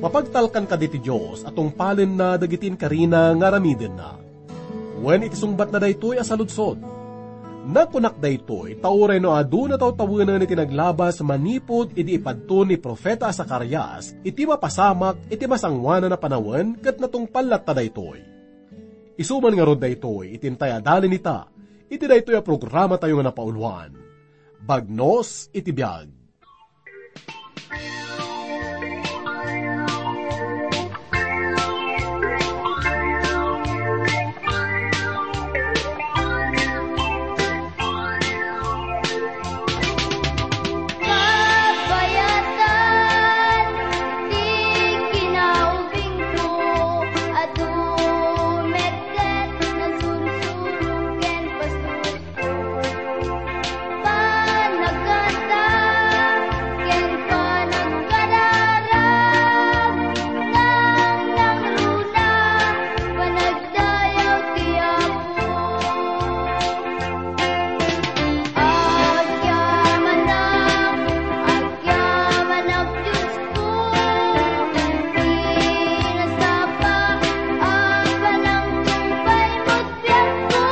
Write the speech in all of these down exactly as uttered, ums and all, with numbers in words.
Mapagtalkan kadi ti Dios a tungpalenna dagiti inkarina nga aramidenna. Wen iti sungbatna daytoy a saludsod. Nakunak daytoy ta uray no adu natawtawenen iti naglabas manipud idi ipadto ni profeta a Zacarias iti mapasamak iti masangoanan a panawen ket natungpal latta daytoy. Isu man ngarud daytoy iti intay adalen ita iti daytoy a programatayo nga napauluan, Bagnos iti Biag. Kabayatan ti kinaubingko, adu met ket nasursuro ken pasurko. Panagkanta ken panagkararag, nangnangruna, panagdayaw ti Apo. Agyamanak, agyamanak, Diosko, ti nasapa, a panangtungpal met biagko.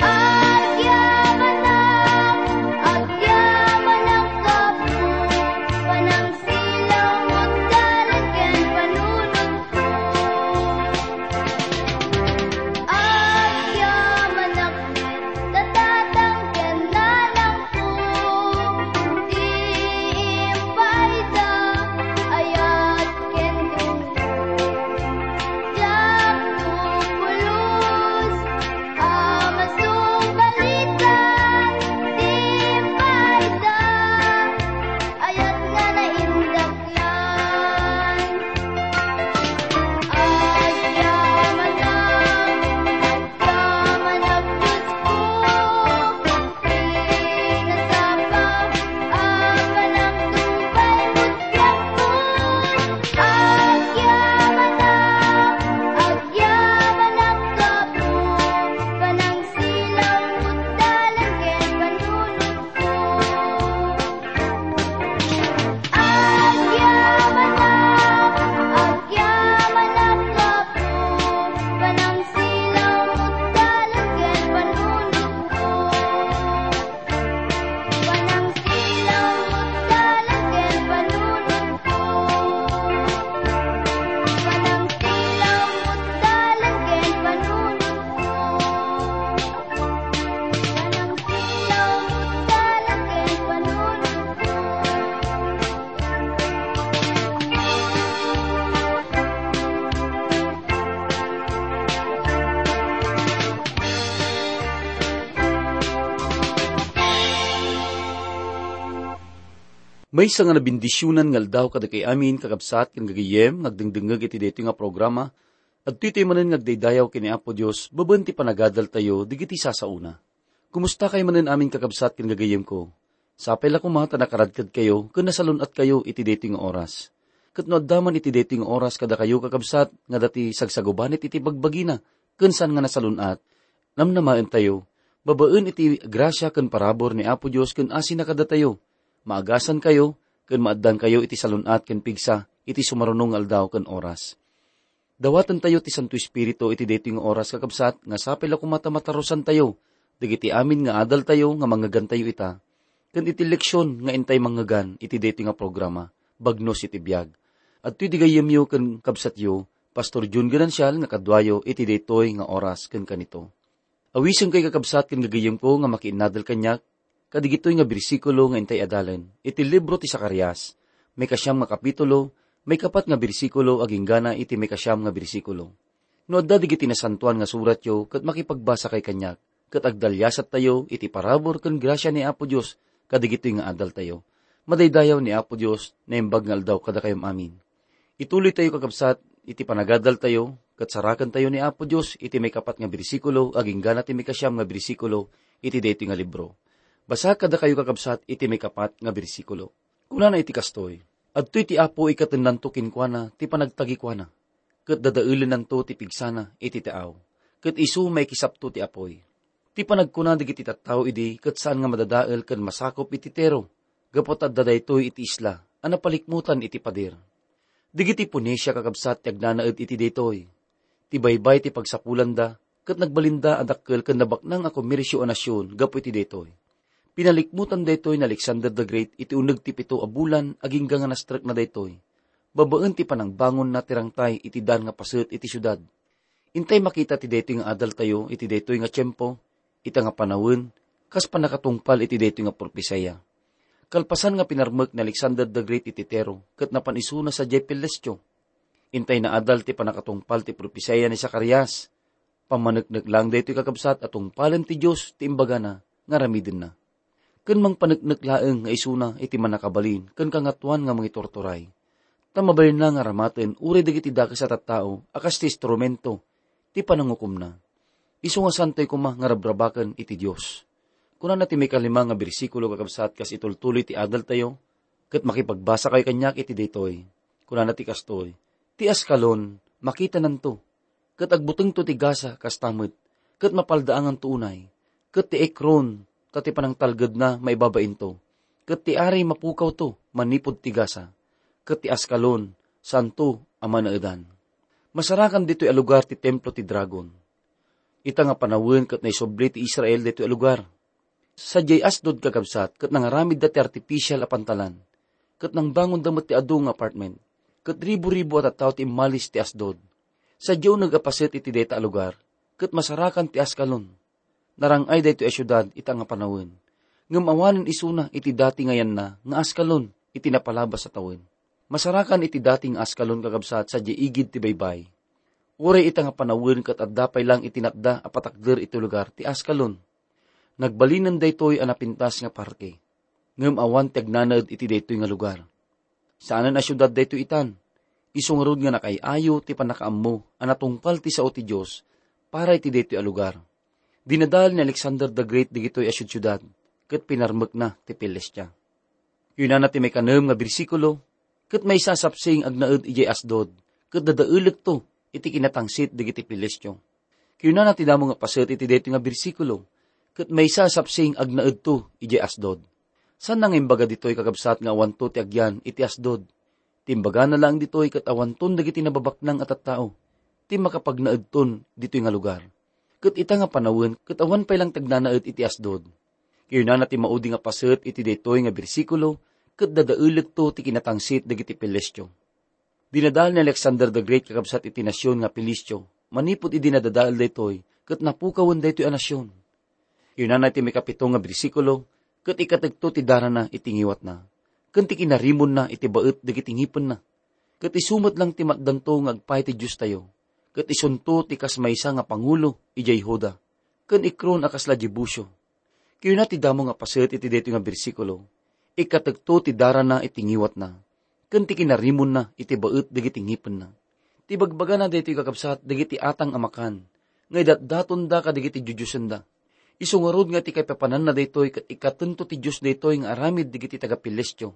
Agyamanak, agyamanak, Apo, panangsilaw met dalan ken panunotko. Agyamanak, Tatang ken nanangko, ti impaayda, ayat ken tungko. Diak pulos a masubalitan, ti impaayda, ayat nga naindaklan. Agyamanak, agyamanak, Diosko, ti nasapa, a panangtungpal met biagko. Agyamanak, agyamanak, Apo, panangsilaw met dalan ken panunotko. Agyamanak, agyamanak, Apo, panangsilaw met dalan ken panunotko. Panangsilaw met dalan ken panunotko. Panangsilaw met dalan ken panunotko. Maysa nga nabendisionan nga aldaw kadakayo amin, kakabsat ken gagayyem, nga agdengdengngeg iti daytoy nga programa. Adtoy tayo manen nga agdaydayaw ken ni Apo Dios babaen ti panagadaltayo dagiti sasaona. Kumusta kayo manen amin, kakabsat ken gagayyemko? Sapay la koma ta nakaradkadkayo ken nasalun-atkayo iti daytoy nga oras. Ket no adda man iti daytoy nga oras kadakayo, kakabsat, nga adda ti sagsagubanit iti bagbagina ken saan nga nasalun-at, namnamaentayo, babaen iti grasia ken parabur ni Apo Dios ken asina kadatayo, maagasankayo ken maaddankayo iti salun-at ken pigsa iti sumaruno nga aldaw ken oras. Dawatentayo ti Santo Espiritu iti daytoy nga oras, kakabsat, nga sapay la koma ta matarusantayo dagiti amin nga adaltayo nga mangngegantayo ita, ken iti leksion nga intay manngegan iti daytoy nga programa, Bagnos iti Biag. Adtoy di gayyemyo ken kabsatyo, Pastor Jun Ganancial, nga kaduayo iti daytoy nga oras ken kanito. Awisenkayo, kakabsat ken gagayyemko, nga makiinnadal kaniak kadigitoy nga bersikulo nga intay adalen iti libro ti Zacarias, maikasiam nga kapitulo, maikapat nga bersikulo agingga iti maikasiam nga bersikulo. No adda dagiti Nasantoan nga Suratyo ket makipagbasakay kaniak, ket agdaliasattayo iti parabur ken grasia ni Apo Dios kadigitoy nga adaltayo. Madaydayaw ni Apo Dios, naimbag nga aldaw kadakayom amin. Ituloytayo, kakabsat, iti panagadaltayo, ket sarakentayo ni Apo Dios iti maikapat nga bersikulo agingga ti maikasiam nga bersikulo iti daytoy nga libro. Basaek kadakayo, kakabsat, iti maikapat nga bersikulo. Kunana iti kastoy, "Adtoy ti Apo, ikatennanto kenkuana ti panagtagikuana, ket dadaelennanto ti pigsana iti taaw, ket isu maikisapto ti apuy." Ti panagkuna dagiti tattao idi ket saan nga madadael ken masakup iti Tiro, gapu ta adda daytoy iti isla a napalikmutan iti pader. Dagiti Phoenicia, kakabsat, ti agnanaed iti daytoy. Ti baybay ti pagsapulanda, ket nagbalinda a dakkel ken nabaknang a komersio a nasion gapu iti daytoy. Pinalikmutan daytoy ni Alexander the Great iti uneg ti pito a bulan agingga nga nastrekna daytoy, babaen ti panangbangonna ti rangtay iti dan nga paset iti siudad. Intay makita ti daytoy nga adaltayo iti daytoy nga tiempo, ita nga panawen, kas pannakatungpal iti daytoy nga propesiya. Kalpasan nga pinarmek ni Alexander the Great iti Tiro, ket napan isuna sadiay Pelestio. Intay naadal ti pannakatungpal ti propesiya ni Zacarias. Pammaneknek laeng daytoy, kakabsat, a tungpalen ti Dios ti imbagana nga aramidenna. Ken mangpaneknek laeng nga isuna iti mannakabalin ken kangatoan nga mangiturturay. Ta mabalinna nga aramaten uray dagiti dakes a tattao a kas ti instrumento ti panangukomna. Isu nga santoy koma nga rabrabaken iti Dios. Kunana ti maikalima nga bersikulo, kakabsat, kas itultuloy ti adaltayo, ket makipagbasakayo kaniak iti daytoy. Kunana ti kastoy, "Ti Ascalon, makitananto, ket agbutengto ti Gaza kasta met, ket mapaldaanganto unay, ket ti Ekron, ta ti panangtalgedna maibabainto, ket ti ari mapukawto manipud ti Gaza, ket ti Ascalon, saanto a manaedan." Masarakan ditoy a lugar ti templo ti dragon. Ita nga panawen ket naisubli ti Israel ditoy a lugar. Sadiay Asdod, kakabsat, ket nangaramidda ti artificial a pantalan, ket nangbangonda met ti adu nga apartment, ket ribu-ribu a tattao ti immalis ti Asdod. Sadiay uneg a paset iti dayta a lugar, ket masarakan ti Ascalon. Narang-ay daytoy a siudad ita nga panawen, ngem awanen isuna iti dati nga yanna nga Ascalon iti napalabas a tawen. Masarakan iti dati nga Ascalon, kakabsat, sadiay igid ti baybay. Uray ita nga panawen ket adda pay laeng iti natda a patakder iti lugar ti Ascalon. Nagbalinen daytoy a napintas nga parke, ngem awan ti agnanaed iti daytoy nga lugar. Saanen a siudad daytoy itan. Isu ngarud nga nakaay-ayo ti pannakaammo a natungpal ti sao ti Dios para iti daytoy a lugar. Dinadael ni Alexander the Great dagitoy a siudsiudad ket pinarmekna ti Pilistia. Kinunana ti maikanem nga bersikulo, "Ket maysa a sapsing agnaed idiay Asdod, ket dadaelekto iti kinatangsit dagiti Pilistio." Kinunana ti damo nga paset iti daytoy nga bersikulo, "Ket maysa a sapsing agnaedto idiay Asdod." Saanna nga imbaga ditoy, kakabsat, nga awanto ti agyan iti Asdod. Ti imbagana laeng ditoy ket awanton dagiti nababaknang a tattao ti makapagnaedton ditoy nga lugar. Ket ita nga panawen ket awan pay laeng ti agnanaed iti Asdod. Kinunana ti maudi nga paset iti daytoy nga bersikulo, "Ket dadaelekto ti kinatangsit dagiti Pilistio." Dinadael ni Alexander the Great, kakabsat, iti nasion nga Pilistio manipud idi nadadael daytoy ket napukawen daytoy a nasion. Kinunana iti maikapito nga bersikulo, "Ket ikatekto ti darana iti ngiwatna, ken ti kinarimonna iti baet dagiti ngipenna. Ket isu met laeng ti matdanto nga agpaay ti Diostayo, ket isunto ti kas maysa nga pangulo idiay Juda, ken Ekron a kasla Jebusio." Kinuna ti damo nga paset iti daytoy nga bersikulo, "Ikatekto ti darana iti ngiwatna, ken ti kinarimonna iti baet dagiti ngipenna." Ti bagbagana daytoy, kakabsat, dagiti atang a makan nga idatdatonda kadagiti dioddiosenna. Isu ngarud nga ti kaipapananna daytoy ket ikatento ti Dios daytoy nga aramid dagiti taga-Pilistio.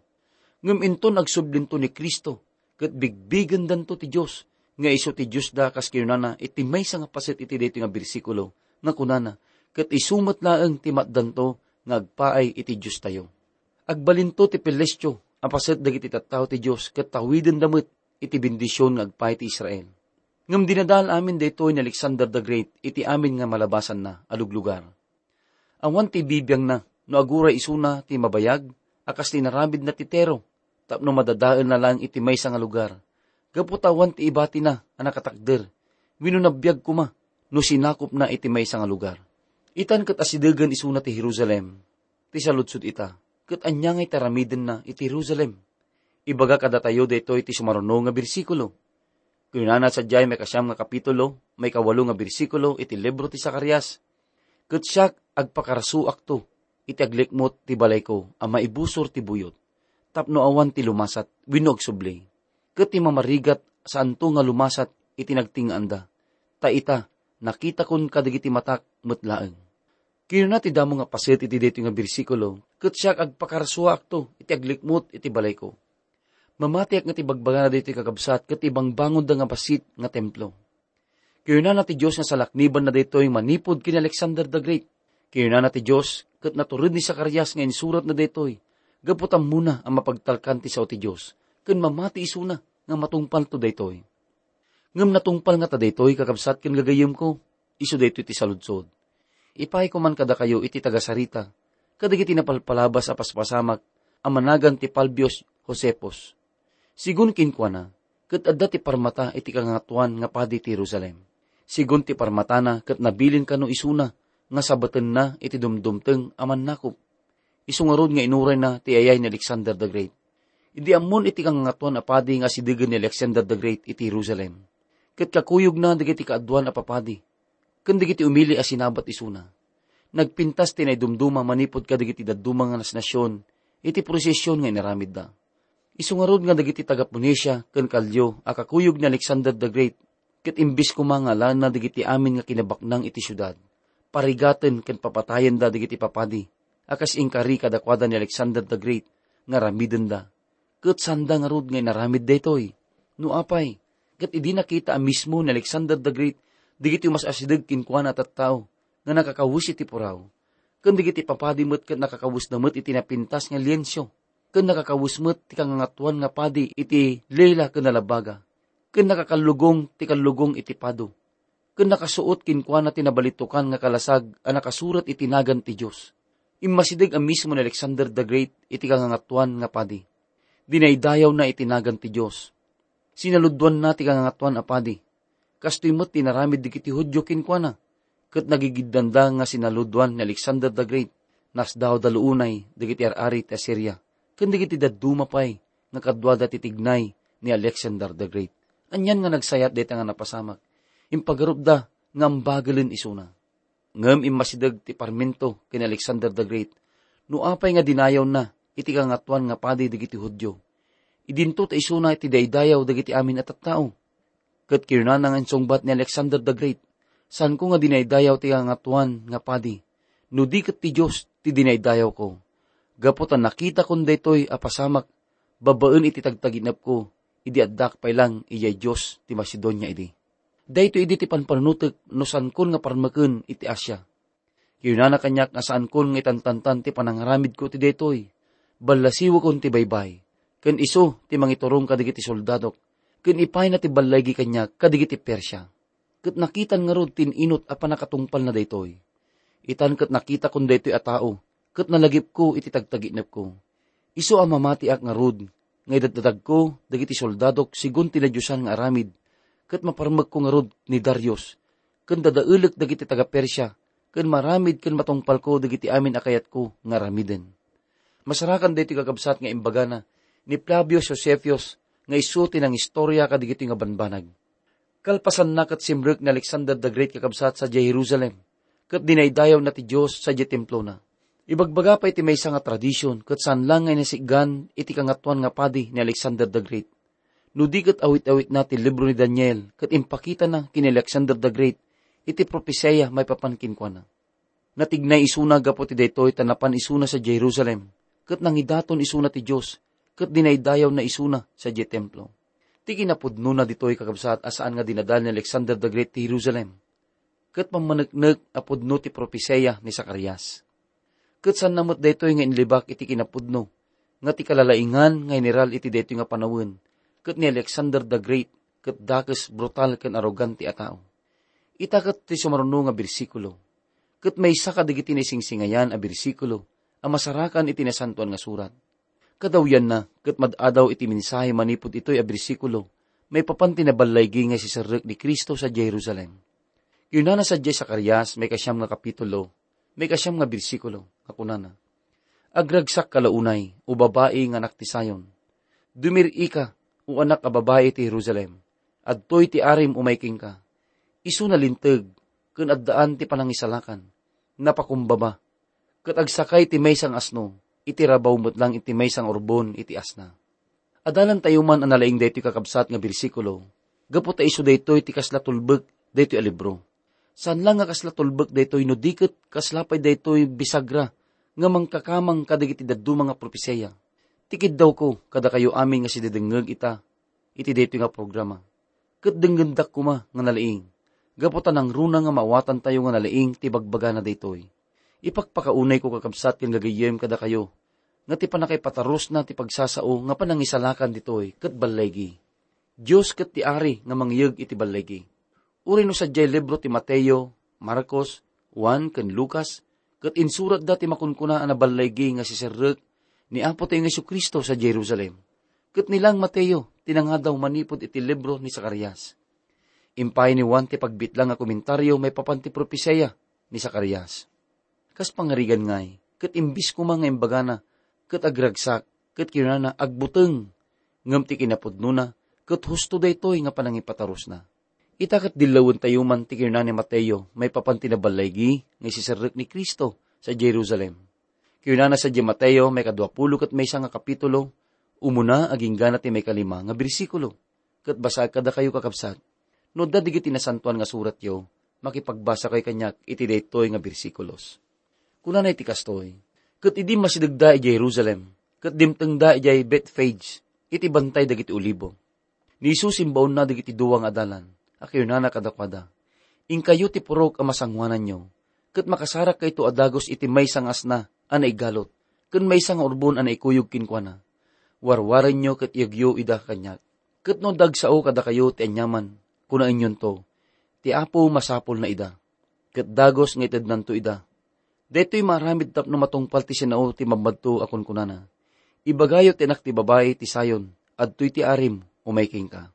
Ngem inton agsublinto ni Cristo, ket bigbigendanto ti Dios, nga isu ti Diosda, kas kinunana iti maysa nga paset iti daytoy nga bersikulo, nga kunana, "Ket isu met laeng ti matdanto nga agpaay iti Diostayo." Agbalinto ti Pilistio a paset dagiti tattao ti Dios, ket tawidenda met iti bendision nga agpaay ti Israel. Ngem dinadael amin daytoy ni Alexander the Great iti amin nga malabasanna a luglugar. Awan ti ibibiangna no aguray isuna ti mabayag a kas ti inaramidna ti Tiro, tapno madadaelna laeng iti maysa nga lugar, gapu ta awan ti ibatina a nakatakder, wenno nabiag koma no sinakopna iti maysa nga lugar. Itan ket asidegen isuna ti Jerusalem, ti saludsod ita, ket ania ngay ti aramidenna iti Jerusalem? Ibaga kadatayo daytoy ti sumaruno nga bersikulo. Kinunana sadiay maikasiam nga kapitulo, maikawalo nga bersikulo iti libro ti Zacarias, "Ket siak, agpakarsuakto iti aglikmut ti balayko a maibusor ti buyot, tapno awan ti lumasat wenno agsubli, ket ti mamarigat saanto nga lumasat iti nagting-nganda, ta ita, nakitakon kadagiti matak met laeng." Kinuna ti damo nga paset iti daytoy nga bersikulo, "Ket siak, agpakarsuakto iti aglikmut iti balayko." Mamatiak nga ti bagbagana daytoy, kakabsat, ket ibangbangonda nga bassit nga templo. Kinunana ti Dios nga salaknibanna daytoy manipud ken Alexander the Great. Kinunana ti Dios, ket natured ni Zacarias nga insuratna daytoy, gapu ta ammona a mapagtalkan ti sao ti Dios, ken mamati isuna. nga matungpalto daytoy. Ngem natungpal ngata daytoy, kakabsat ken gagayyemko, isu daytoy ti saludsod. Ipayko man kadakayo iti tagasarita, kadagiti napalpalabas a paspasamak a managan ti Palbius Josephus. Sigun kenkuana, ket adda ti parmata iti kangangatuan nga padi ti Jerusalem. Sigun ti parmatana, ket nabilin kano isuna nga sabatenna iti dumdumteng a mannakop. Isu ngarud nga inurayna ti ayay ni Alexander the Great. Idi ammon iti kangangatuan a padi nga asidegen ni Alexander the Great iti Jerusalem, ket kakuyogna dagiti kaaduan a papadi, ken dagiti umili a sinabat isuna. Nagpintas ti naidumduma manipud kadagiti dadduma nga nasnasion iti prosesion nga inaramidda. Isu ngarud nga dagiti taga-Phoenicia ken Kalyo a kakuyog ni Alexander the Great, ket imbes koma nga alaenna dagiti amin nga kinabaknang iti siudad, parigaten ken papatayenda dagiti papadi a kas inkari kadakuada ni Alexander the Great nga aramidenda. Ket sanda ngarud nga inaramid daytoy. No apay, ket idi nakita a mismo ni Alexander the Great dagiti mas-asideg kenkuana a tattao nga nakakawes iti puraw, ken dagiti papadi met ket nakakawesda met iti napintas nga lienso, ken nakakawes met ti kangangatuan nga padi iti lela ken nalabaga, ken nakakallugong ti kallugong iti pado, ken nakasuot kenkuana ti nabalitokan nga kalasag a nakasurat iti nagan ti Dios. Immasideg a mismo ni Alexander the Great iti kangangatuan nga padi. Dinaydayawna iti nagan ti Dios. Sinaludwanna ti kangangatuan a padi. Kastoy met ti inaramid dagiti Judio kenkuana, ket nagigiddanda nga sinaludwan ni Alexander the Great. Nasdawda luunay dagiti ar-ari ti Asiria, ken dagiti dadduma pay nga kaduada ti tignay ni Alexander the Great. Anian nga nagsayat dayta nga napasamak. Impagarupda nga ambagelen isuna. Ngem immasideg ti parmento ken Alexander the Great no apay nga dinayawna iti kangatuan nga padi dagiti Judio. Idinto ta isuna ti daydayaw dagiti amin a tattao. Ket kinunana nga insungbat ni Alexander the Great, "Saanko nga dinaydayaw ti kangatuan nga padi, no di ket ti Dios ti dinaydayawko. Gapu ta nakitakon daytoy a pasamak babaen iti tagtaginepko, idi addak pay lang idiay Dios ti Macedonia idi." Daytoy idi ti panpanunotek no saankon nga parmeken iti Asia. Kinunana kaniak nga saankon nga itantantan ti panangaramidko iti daytoy. Ballasiwekon ti baybay, ken isu ti mangiturong kadagiti soldadok, ken ipayna ti ballaygi kaniak kadagiti Persia. Ket nakitan ngarud ti in-inut a pannakatungpalna daytoy. Itan ket nakitakon daytoy a tao, ket nalagipko iti tagtaginepko. Isu a mamatiak ngarud nga idaddatagko dagiti soldadok sigun ti nadiosan nga aramid, ket maparmekko ngarud ni Darius, ken dadaelek dagiti taga-Persia, ken maramid ken matungpalko dagiti amin a kayatko nga aramiden. Masarakan daytoy kakabsat nga imbagana ni Flavius Josephus nga isu ti nangistoria kadagitoy nga banbanag. Kalpasanna ket simrek ni Alexander the Great kakabsat sadiay Jerusalem, ket dinaydayawna ti Dios sadiay templona. Ibagbaga pay ti maysa nga tradision ket saan lang nga inasigan iti kangatuan nga padi ni Alexander the Great. No di ket awit-awitna ti libro ni Daniel ket impakitana ken ni Alexander the Great iti propesia maipapan kenkuana. Natignay isuna gapu ti daytoy ta napan isuna sadiay Jerusalem, ket nangidaton isuna ti Dios, ket dinaydayawna isuna sadiay templo. Ti kinapudnona ditoy, kakabsat, a saan nga dinadal ni Alexander the Great ti Jerusalem, ket pammaneknek a pudno ti propesia ni Zacarias. Ket saanna met daytoy nga inlibak iti kinapudno nga ti kalalaingan nga general iti daytoy nga panawen ket ni Alexander the Great ket dakes, brutal ken arogante a tao. Ita ket ti sumaruno nga bersikulo, ket maysa kadagiti naisingsingayan a bersikulo a masarakan iti Nasantoan nga Surat. Kadawyanna, ket mad-adaw iti mensahe manipud itoy a bersikulo maipapan ti naballaygi nga siserrek ni Cristo sadiay Jerusalem. Kinunana sadiay Zacarias, maikasiam nga kapitulo, maikasiam nga bersikulo, nga kunana, "Agragsakka la unay, O babai nga anak ti Sion. Dumir-ika, O anak a babai ti Jerusalem. Adtoy ti arim umay kenka. Isu nalinteg, ken addaan ti panangisalakan. Napakumbaba, ket agsakay ti maysa nga asno, iti rabaw met lang iti maysa nga urbon iti asna." Adalantayo man a nalaing daytoy kakabsat nga bersikulo, gapu ta isu daytoy ti kasla tulbek daytoy a libro. Saan lang nga kasla tulbek daytoy no di ket kasla pay daytoy bisagra nga mangkakamang kadagiti dadduma nga propesia. Ti kiddawko kadakayo amin nga sididengngeg ita iti daytoy nga programa. Ket denggendak koma nga nalaing, gapu ta nangruna nga maawatantayo nga nalaing ti bagbagana daytoy. Ipakpakaunayko, kakabsat ken gagayyem, kadakayo nga ti pannakaipatarusna ti pagsasao nga panangisalakan ditoy ket ballaygi. Dios ket ti Ari nga mangyeg iti ballaygi. Uray no sadiay libro ti Mateo, Marcos, Juan, ken Lucas, ket insuratda ti makunkuna a naballaygi nga siserrek ni Apotayo nga Jesu-Cristo sadiay Jerusalem. Ket ni lang Mateo ti nangadaw manipud iti libro ni Zacarias. Impay ni Juan ti pagbitlang nga komentario maipapan ti propesia ni Zacarias. Kas pangarigan ngay, ket imbis koma nga imbagana, ket agragsak, ket kinunana, "Agbuteng," ngem ti kinapudnona, ket husto daytoy nga panangipatarusna. Ita ket dillawentayo man ti kinuna ni Mateo maipapan ti naballaygi nga isiserrek ni Cristo sadiay Jerusalem. Kinunana sadiay Mateo maikadua pulo ket maysa nga kapitulo, umuna agingga na ti maikalima nga bersikulo. Ket basaek kadakayo, kakabsat. No adda dagiti Nasantoan nga Suratyo, makipagbasakayo kaniak iti daytoy nga bersikulos. Kunana iti kastoy, "Ket idi masidegda idiay Jerusalem, ket dimtengda idiay Bethphage, iti bantay dagiti Olibo, ni Jesus imbaonna dagiti dua nga adalan, a kinunana kadakuada, 'Inkayo ti purok a masangoananyo, ket makasarakkayto a dagus iti maysa nga asna a naigalot, ken maysa nga urbon a naikuyog kenkuana. Warwarenyo ket iyegyo ida kaniak. Ket no dagsao kadakayo ti aniaman, kunaenyonto, 'Ti Apo masapulna ida, ket dagus nga itednanto ida.' Daytoy maaramid tapno matungpal ti sinao ti mammadto a kunkunana, 'Ibagayo ti anak ti babai ti Sion, adtoy ti arim, umay kenka.'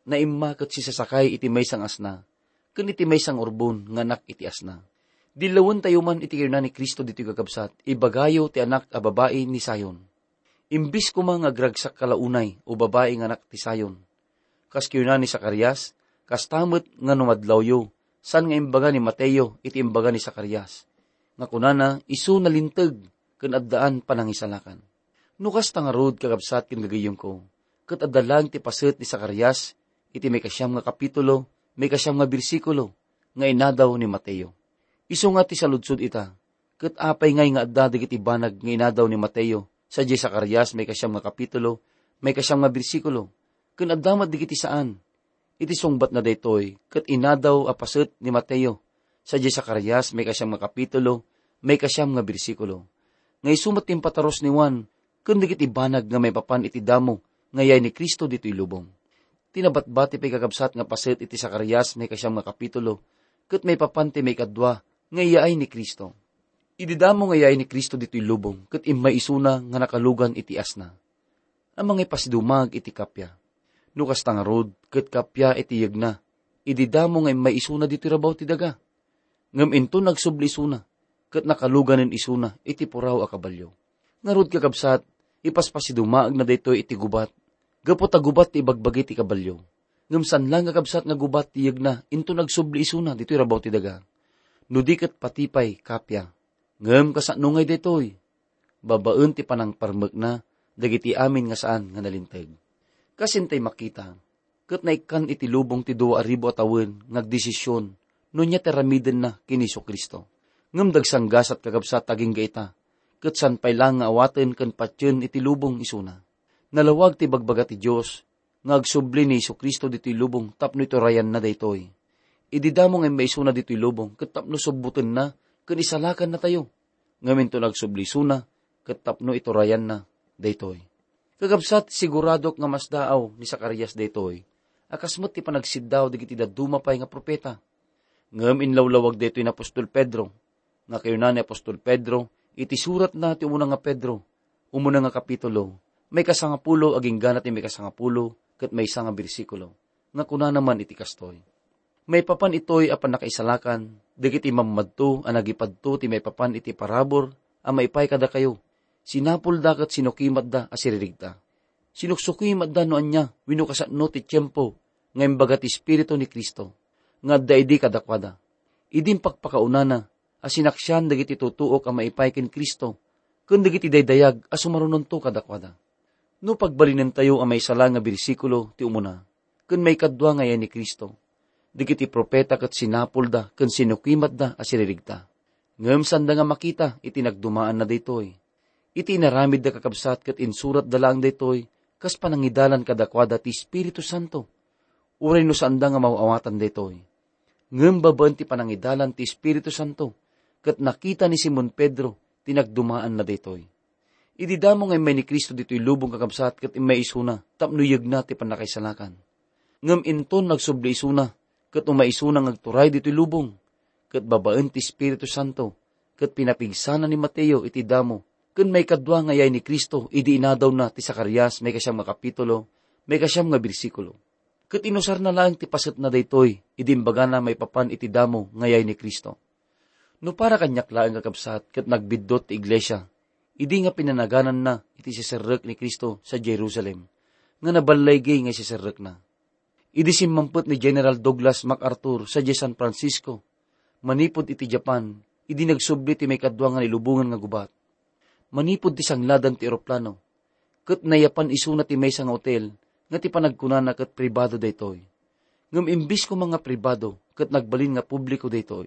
Naimma ket sisasakay iti maysa nga asna, ken iti maysa nga urbon nga anak iti asna. Dillawentayo man iti kinuna ni Cristo ditoy, kakabsat, 'Ibagayo ti anak a babai ni Sion.' Imbis koma nga agragsak ka la unay, o babai nga anak ti Sion, kas kinuna ni Zacarias, kasta met nga no madlawyo, saan nga imbaga ni Mateo iti imbaga ni Zacarias, nga kunana, isu nalinteg ken addaan panangisalakan. No kasta ngarud, kakabsat ken gagayyemko, ket adda laeng ti paset ni Zacarias iti maikasiam nga kapitulo, maikasiam nga bersikulo, nga inadaw ni Mateo. Isu nga ti saludsod ita, ket apay ngay nga adda dagiti banag nga inadaw ni Mateo sadiay Zacarias maikasiam nga kapitulo, maikasiam nga bersikulo, ken adda met dagiti saan? Iti sungbatna daytoy, ket inadaw a paset ni Mateo sadiay Zacarias maikasiam nga kapitulo, maikasiam nga bersikulo, nga isu met ti impatarus ni Juan ken dagiti banag nga maipapan iti damo nga iyay ni Cristo ditoy lubong. Ti nabatbati pay, kakabsat, nga paset iti Zacarias maikasiam nga kapitulo, ket maipapan ti maikadua nga iyaay ni Cristo. Idi damo nga iyaay ni Cristo ditoy lubong, ket immay isuna nga nakalugan iti asna a mangipasidumag iti kappia. No kasta ngarud, ket kappia iti yegna, idi damo nga immay isuna ditoy rabaw ti daga. Ngem inton agsubli isuna, ket nakaluganen isuna iti puraw a kabalio. Ngarud, kakabsat, ipaspasidumaagna daytoy iti gubat, gapu ta gubat ti ibagbagi ti kabalio. Ngem saan laeng, kakabsat, nga gubat ti yegna inton agsubli isuna ditoy rabaw ti daga. No di ket pati pay kappia. Ngem kasano ngay daytoy? Babaen ti panangparmekna dagiti amin nga saan nga nalinteg. Kas intay makita, ket naikkan iti lubong ti dua a ribu a tawen nga agdesision no ania ti aramidenna ken ni Jesu-Cristo. Ngem dagsanggasat, kakabsat, agingga ita, ket saan pay laeng nga awaten ken patien iti lubong isuna. Nalawag ti bagbaga ti Dios nga agsubli ni Jesu-Cristo ditoy lubong tapno iturayanna daytoy. Idi damo nga immaisuna ditoy lubong ket tapno subbotenna ken isalakannatayo. Ngem inton agsubli isuna ket tapno iturayanna daytoy. Kakabsat, siguradok nga masdaaw ni Zacarias daytoy a kas met ti panagsiddaaw dagiti dadduma pay nga profeta. Ngem inlawlawag daytoy ni apostol Pedro, nga kinuna ni apostol Pedro iti suratna ti umuna nga Pedro, umuna nga kapitulo, maikasangapulo agingga na ti maikasangapulo ket maysa nga bersikulo, nga kunana man iti kastoy, "Maipapan itoy a pannakaisalakan dagiti mammadto a nagipadto ti maipapan iti parabur a maipay kadakayo, sinapulda ket sinukimatda a siririgta. Sinuksukimatda no ania wenno kasano ti tiempo nga imbaga ti Espiritu ni Cristo nga adda idi kadakuada. Idi impakpakaunana a sinaksian dagiti tutuok a maipay ken Cristo ken dagiti daydayag a sumarunonto kadakuada." No pagbalinentayo a maisala nga bersikulo ti umuna ken maikadua nga iyaay ni Cristo, dagiti profeta ket sinapulda ken sinukimatda a siririgta. Ngem saanda nga makita iti nagdumaanna daytoy. Iti inaramidda, kakabsat, ket insuratda laeng daytoy kas panangidalan kadakuada ti Espiritu Santo. Uray no saanda nga maaw-awatan daytoy, ngem babaen ti panangidalan ti Espiritu Santo, ket nakita ni Simon Pedro ti nagdumaanna daytoy. Idi damo nga immay ni Cristo ditoy lubong, kakabsat, ket immay isuna tapno yegna ti pannakaisalakan. Ngem inton nagsubli isuna, ket umay isuna nga agturay ditoy lubong, ket babaen ti Espiritu Santo, ket pinapigsana ni Mateo iti damo ken maikadua nga yay ni Cristo idi inadawna ti Zacarias, maikasiam nga kapitulo, maikasiam nga bersikulo. Ket inusarna laeng ti pasetna daytoy idi imbagana maipapan iti damo nga yay ni Cristo. No para kaniak laeng, kakabsat, ket nagbiddut ti iglesia, idi nga pinanagananna iti siserrek ni Cristo sa Jerusalem, nga naballaygi nga siserrekna. Idi simmampet ni General Douglas MacArthur sadiay San Francisco, manipud iti Japan, idi nagsubli ti maikadua nga nilubongan nga gubat. Manipud ti sangladan ti eroplano, ket nayapan isuna ti maysa nga otel nga ti panagkunana ket pribado daytoy. Ngem imbis koma nga pribado, ket nagbalin nga publiko daytoy.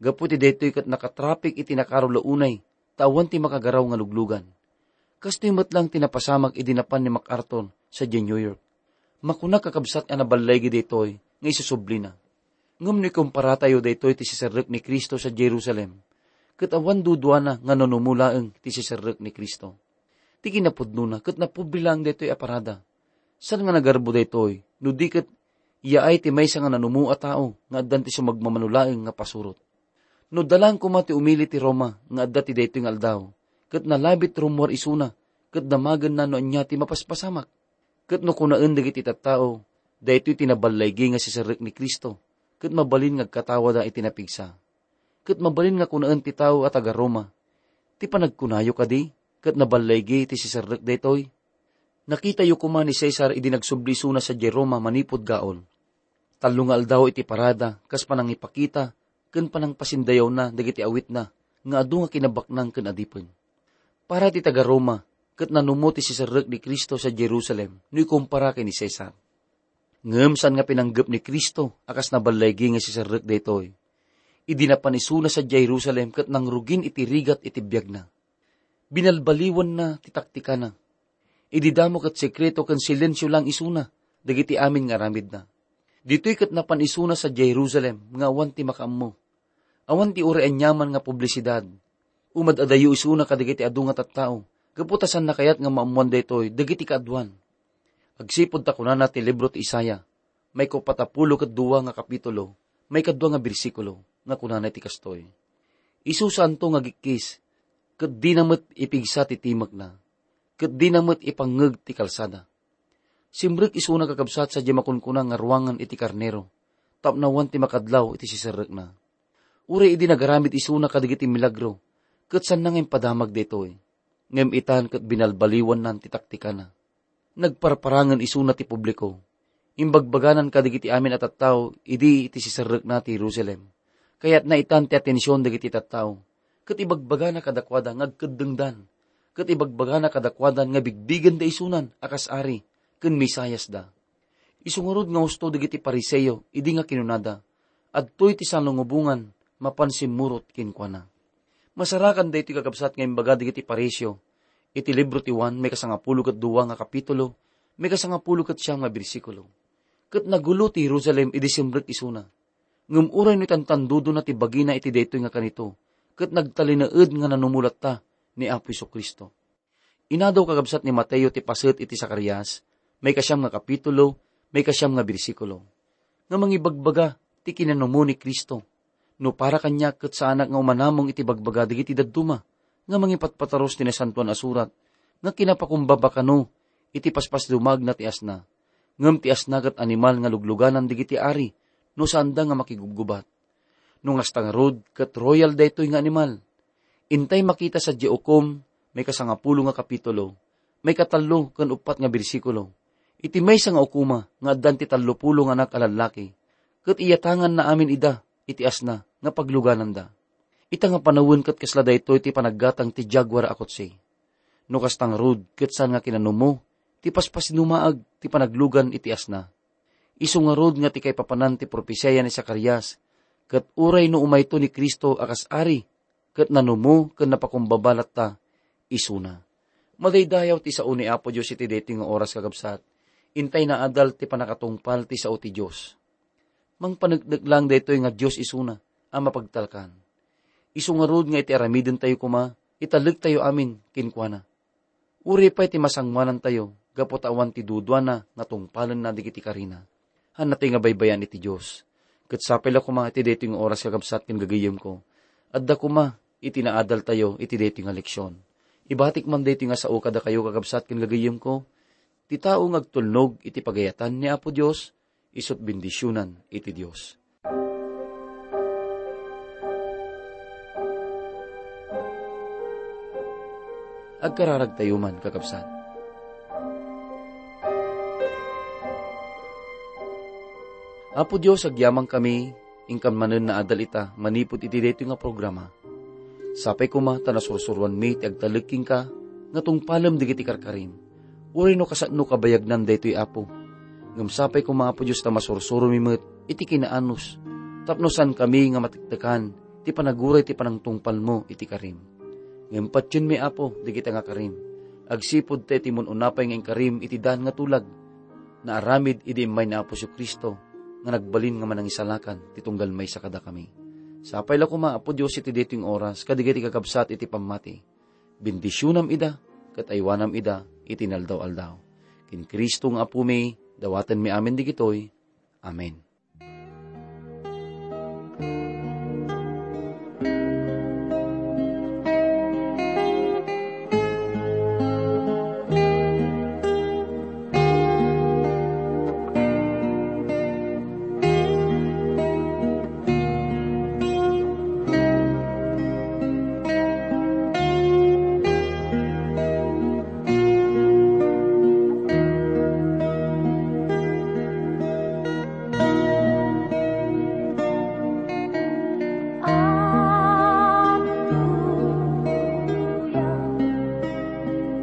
Gapu iti daytoy ket nakatrapik iti nakarula unay, ta awan ti makagaraw nga luglugan. Kastoy met lang ti napasamak idi napan ni MacArthur sadiay New York. Makunak, kakabsat, a naballaygi daytoy nga isusublina. Ngem no ikumparatayo daytoy ti siserrek ni Cristo sa Jerusalem, ket awan duduana nga nanumo laeng ti siserrek ni Cristo. Ti kinapudnona, ket napubli laeng daytoy a parada. Saan nga nagarbo daytoy, no di ket yaay ti maysa nga nanumo a tao nga addan ti sumagmamano laeng nga pasurot. No dalan koma ti umili ti Roma nga adda ti daytoy nga aldaw, ket nalabit rummuar isuna, ket damagenna no ania ti mapaspasamak. Ket no kunaen dagiti tattao, "Daytoy ti naballaygi nga siserrek ni Cristo," ket mabalin nga agkatawada iti napigsa. Ket mabalin nga kunaen ti tao a taga-Roma, "Ti panagkunayo kadi ket naballaygi ti siserrek daytoy?" Nakitayo koma ni Cesar idi nagsubli isuna sadiay Roma manipud gaol. Tallo nga aldaw iti parada kas panangipakita ken panangpasindayawna dagiti awitna nga adu nga kinabaknang ken adipen. Para ti taga-Roma, ket nanumo ti siserrek ni Cristo sa Jerusalem no ikumpara ken ni Cesar. Ngem saan nga pinanggep ni Cristo a kas naballaygi nga siserrek daytoy. Idi napan isuna sadiay Jerusalem ket nangrugin iti rigat iti biagna. Binalbaliwanna ti taktikana. Idi damo ket sekreto ken silensio lang isuna dagiti amin nga aramidna. Ditoy ket napan isuna sadiay Jerusalem nga awan ti makaammo. Awan ti uray aniaman nga publisidad. Umad-adayo isuna kadagiti adu nga tattao, gapu ta saanna kayat nga maammoan daytoy dagiti kaaduan. Agsipud ta kunana ti libro ti Isaiah, maikupatapulo ket dua nga kapitulo, maikadua nga bersikulo, nga kunana iti kastoy, "Isu saanto nga agikkis, ket dina met ipigsa ti timekna, ket dina met ipangngeg ti kalsada." Simrek isuna, kakabsat, sadiay makunkuna nga ruangan iti karnero, tapno awan ti makadlaw iti siserrekna. Uray idi nagaramid isuna kadagiti milagro, ket saanna nga impadamag daytoy. Ngem itan ket binalbaliwannan ti taktikana. Nagparparangen isuna ti publiko. Imbagbaganan kadagiti amin a tattao idi iti siserrekna ti Jerusalem. Kayatna itan ti atension dagiti tattao, ket ibagbagana kadakuada nga agkeddengdan, ket ibagbagana kadakuada nga bigbigenda isunan a kas ari ken Mesiasda. Isu ngarud nga husto dagiti Fariseo idi nga kinunada, "Adtoy ti salungubongan mapan simmurot kenkuana." Masarakan daytoy, kakabsat, nga imbaga dagiti Fariseo iti libro ti Juan, maikasangapulo ket dua nga kapitulo, maikasangapulo ket siam nga bersikulo. Ket nagulo ti Jerusalem idi simrek isuna. Ngem uray no itantandudona ti bagina iti daytoy nga kanito, ket nagtalinaed nga nanumo latta ni Apo Jesu-Cristo. Inadaw, kakabsat, ni Mateo ti paset iti Zacarias, maikasiam nga kapitulo, maikasiam nga bersikulo, nga mangibagbaga ti kinanumo ni Cristo. No para kaniak, ket saanak nga umanamong iti bagbaga dagiti dadduma nga mangipatpataros ti Nasantoan a Surat nga kinapakumbaba kano iti paspasdumaagna ti asna, ngem ti asna ket animal nga lugluganan dagiti ari no saanda nga makigubgubat. No ngasta ngarud, ket royal daytoy nga animal. Intay makita sadiay Ukom, maikasangapulo nga kapitulo, maikatallo ken uppat nga bersikulo. Iti maysa nga ukoma nga addan ti tallopulo nga anak a lallaki, ket iyatanganna amin ida iti asna nga paglugananda. Ita nga panawen ket kasla daytoy ti panaggatang ti jaguar a kotse. No kasta ngarud, ket saan nga kinanumo ti paspasinumaag ti panaglugan iti asna. Isu ngarud nga ti kaipapanan ti propesiya ni Zacarias, ket uray no umayto ni Cristo a kas ari, ket nanumo ken napakumbaba latta isuna. Madaydayaw ti sao ni Apo Dios iti daytoy nga oras, kakabsat. Intay naadal ti pannakatungpal ti sao ti Dios. Mangpaneknek lang daytoy nga Dios isuna a mapagtalkan. Isu ngarud nga iti aramidentayo koma, italektayo amin kenkuana. Uray pay ti masangoanantayo gapu ta awan ti duduana nga tungpalenna dagiti karina. Hanna toy nga baybayan iti Dios. Ket sapay la koma iti daytoy nga oras, kakabsat ken gagayyemko. Adda koma iti naadaltayo iti daytoy nga leksion. Ibatik man daytoy nga sao kadakayo, kakabsat ken gagayyemko. Ti tao nga agtulnog iti pagayatan ni Apo Dios, isut' bendisionan iti Dios. Agkararagtayo man, kakabsat. Apo Dios, agyamankami, inkan manen naadal ita manipud iti daytoy nga programa. Sapay koma ta nasursuroanmi ti agtalek kenka nga tungpalem dagiti karkarim. Uray no kasano kabayagnan daytoy, Apo. Ngem sapay koma, Apo Dios, ta masursuromi met iti kinaanus, tapno saankami nga matektekan ti panaguray ti panangtungpalmo iti karim. Ngem patienmi, Apo, dagita nga karim, agsipud ta iti mun-una pay nga inkarim iti daan nga tulag, naaramid idi immay ni Apo Jesu-Cristo nga nagbalin nga manangisalakan ti tunggal maysa kadakami. Sapay la koma, Apo Dios, iti daytoy nga oras kadagiti kakabsat iti pammati. Bendisionam ida, ket aywanam ida iti inaldaw-aldaw. Ken Cristo nga Apomi, dawatenmi amin dagitoy. Amen.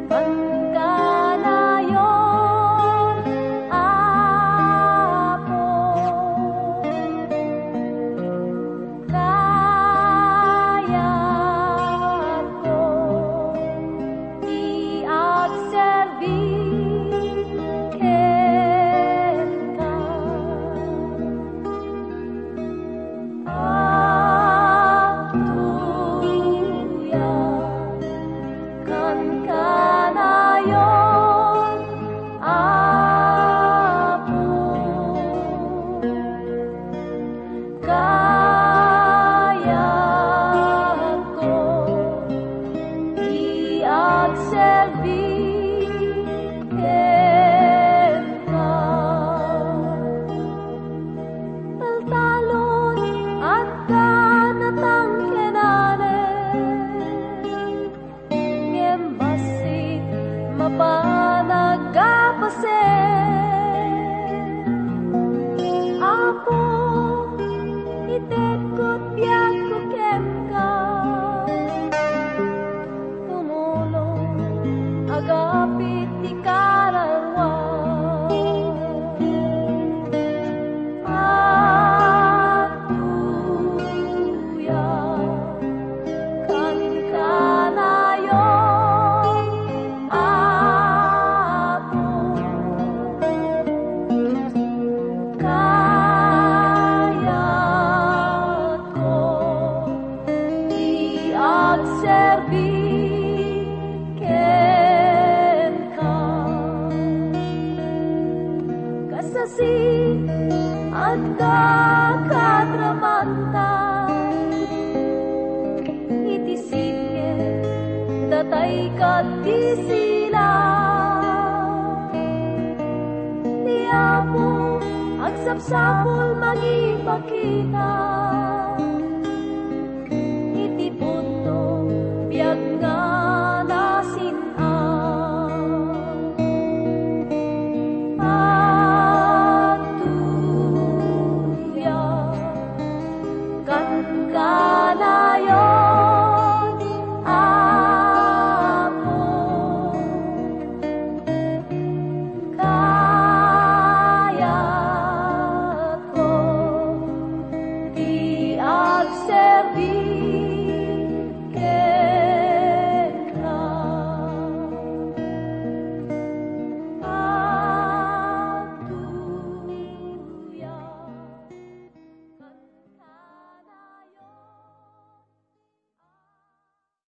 Agtuyang kanayon, Apo, kayatko ti agserbi kenka. Agtuyang kankanayon, Apo, kayatko ti agserbi kenka. Taltalon, adda natangkenanen, ngem bassit mapan aggapasen. Apo, itedko ti biagko kenka. Tumulong, agapit ti kararua. Agtuyang kankanayon, Apo, kayatko ti agserbi kenka. Kasasi, adda kadramanta iti sipnget, datay ket ti sila. Ti Apo agsapsapul mangipakita.